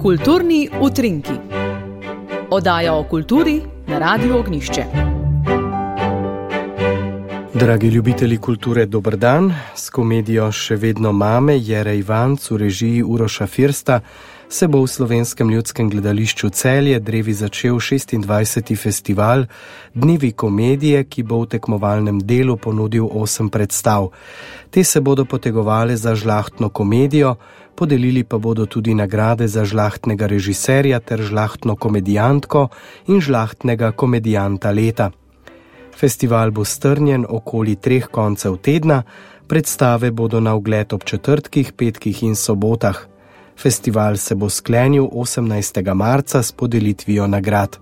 Kulturni utrinki. Oddaja o kulturi na Radiu Ognjišče. Dragi ljubitelji kulture, dober dan. S komedijo Še vedno mame Jere Ivanc v režiji Uroša Firsta se bo v Slovenskem ljudskem gledališču Celje drevi začel 26. festival Dnevi komedije, ki bo v tekmovalnem delu ponudil 8 predstav. Te se bodo potegovale za žlahtno komedijo, podelili pa bodo tudi nagrade za žlahtnega režiserja ter žlahtno komedijantko in žlahtnega komedijanta leta. Festival bo strnjen okoli 3 koncev tedna, predstave bodo na ogled ob četrtkih, petkih in sobotah. Festival se bo sklenil 18. marca s podelitvijo nagrad.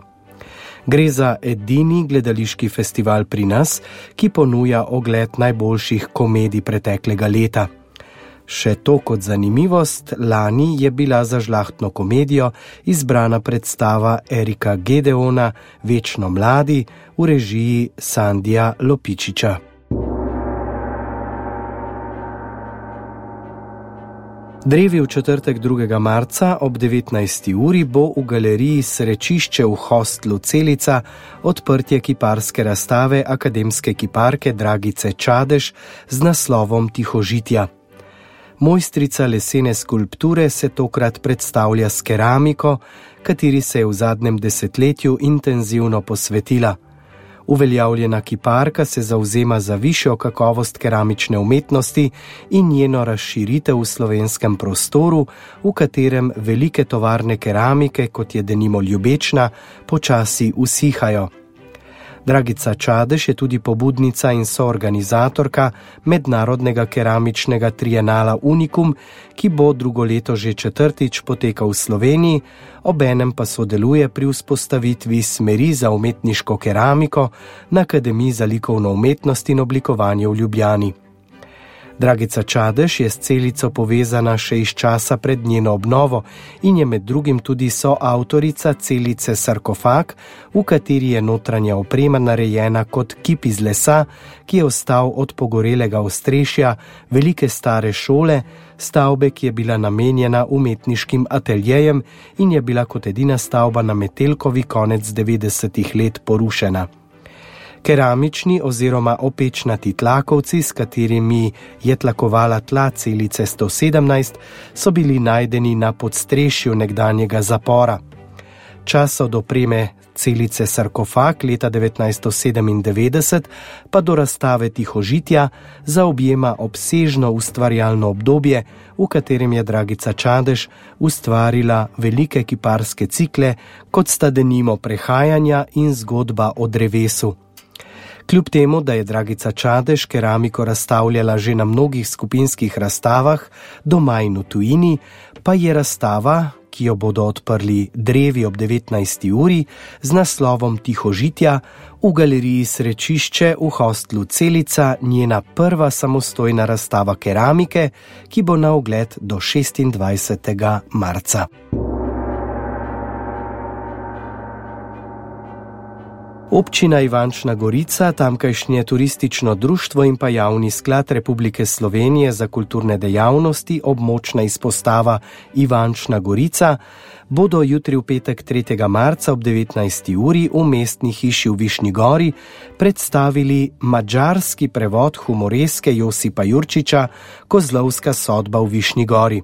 Gre za edini gledališki festival pri nas, ki ponuja ogled najboljših komedij preteklega leta. Še to kot zanimivost, lani je bila za žlahtno komedijo izbrana predstava Erika Gedeona Večno mladi v režiji Sandija Lopičiča. Drevi v četrtek 2. marca ob 19. uri bo v galeriji Srečišče v hostlu Celica odprtje kiparske razstave akademske kiparke Dragice Čadež z naslovom Tihožitja. Mojstrica lesene skulpture se tokrat predstavlja s keramiko, kateri se je v zadnjem desetletju intenzivno posvetila. Uveljavljena kiparka se zavzema za višjo kakovost keramične umetnosti in njeno razširitev v slovenskem prostoru, v katerem velike tovarne keramike, kot je denimo Ljubečna, počasi usihajo. Dragica Čadež je tudi pobudnica in soorganizatorka mednarodnega keramičnega trienala Unikum, ki bo drugo leto že četrtič potekal v Sloveniji, obenem pa sodeluje pri vzpostavitvi smeri za umetniško keramiko na Akademiji za likovno umetnost in oblikovanje v Ljubljani. Dragica Čadež je s Celico povezana še iz časa pred njeno obnovo in je med drugim tudi soavtorica Celice Sarkofag, v kateri je notranja oprema narejena kot kip iz lesa, ki je ostal od pogorelega ostrešja velike stare šole, stavbe, ki je bila namenjena umetniškim ateljejem in je bila kot edina stavba na Metelkovi konec 90. let porušena. Keramični oziroma opečnati tlakovci, s katerimi je tlakovala tla Celice 117, so bili najdeni na podstrešju nekdanjega zapora. Čas od opreme Celice Sarkofag leta 1997 pa do razstave Tihožitja zaobjema obsežno ustvarjalno obdobje, v katerem je Dragica Čadež ustvarila velike kiparske cikle, kot sta denimo Prehajanja in Zgodba o drevesu. Kljub temu, da je Dragica Čadež keramiko razstavljala že na mnogih skupinskih razstavah, doma in v tujini, pa je razstava, ki jo bodo odprli drevi ob 19. uri, z naslovom Tihožitja v galeriji Srečišče v hostlu Celica njena prva samostojna razstava keramike, ki bo na ogled do 26. marca. Občina Ivančna Gorica, tamkajšnje turistično društvo in pa Javni sklad Republike Slovenije za kulturne dejavnosti, območna izpostava Ivančna Gorica, bodo jutri v petek 3. marca ob 19. uri v mestni hiši v Višnji Gori predstavili madžarski prevod humoreske Josipa Jurčiča Kozlovska sodba v Višnji Gori.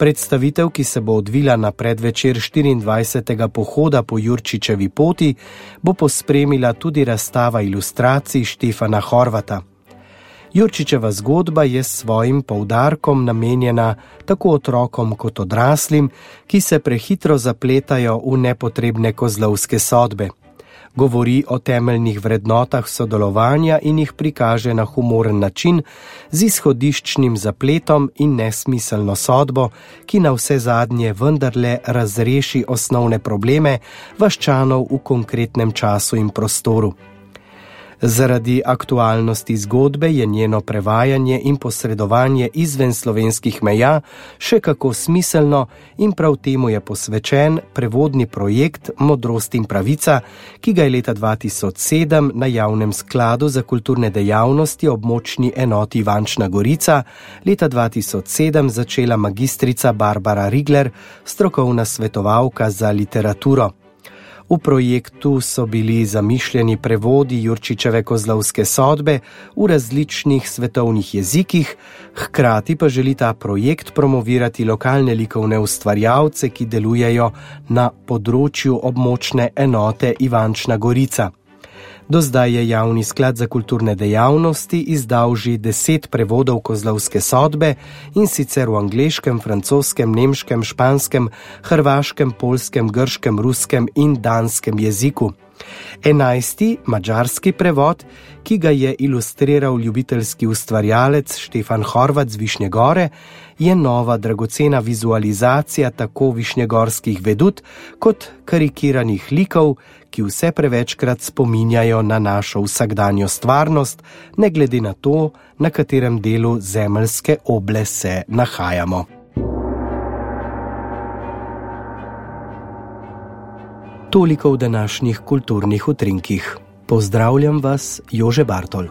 Predstavitev, ki se bo odvila na predvečer 24. pohoda po Jurčičevi poti, bo pospremila tudi razstava ilustracij Štefana Horvata. Jurčičeva zgodba je s svojim poudarkom namenjena tako otrokom kot odraslim, ki se prehitro zapletajo v nepotrebne kozlovske sodbe. Govori o temeljnih vrednotah sodelovanja in jih prikaže na humoren način z izhodiščnim zapletom in nesmiselno sodbo, ki na vse zadnje vendarle razreši osnovne probleme vaščanov v konkretnem času in prostoru. Zaradi aktualnosti zgodbe je njeno prevajanje in posredovanje izven slovenskih meja še kako smiselno in prav temu je posvečen prevodni projekt Modrost in pravica, ki ga je leta 2007 na Javnem skladu za kulturne dejavnosti območni enoti Ivančna Gorica leta 2007 začela magistrica Barbara Rigler, strokovna svetovalka za literaturo. V projektu so bili zamišljeni prevodi Jurčičeve Kozlovske sodbe v različnih svetovnih jezikih, hkrati pa želi ta projekt promovirati lokalne likovne ustvarjalce, ki delujejo na področju območne enote Ivančna Gorica. Do zdaj je Javni sklad za kulturne dejavnosti izdal že 10 prevodov Kozlovske sodbe, in sicer v angleškem, francoskem, nemškem, španskem, hrvaškem, poljskem, grškem, ruskem in danskem jeziku. 11. madžarski prevod, ki ga je ilustriral ljubiteljski ustvarjalec Štefan Horvat z Višnje Gore, je nova dragocena vizualizacija tako višnjegorskih vedut kot karikiranih likov, ki vse prevečkrat spominjajo na našo vsakdanjo stvarnost, ne glede na to, na katerem delu zemeljske oble se nahajamo. Toliko v današnjih kulturnih utrinkih. Pozdravljam vas, Jože Bartol.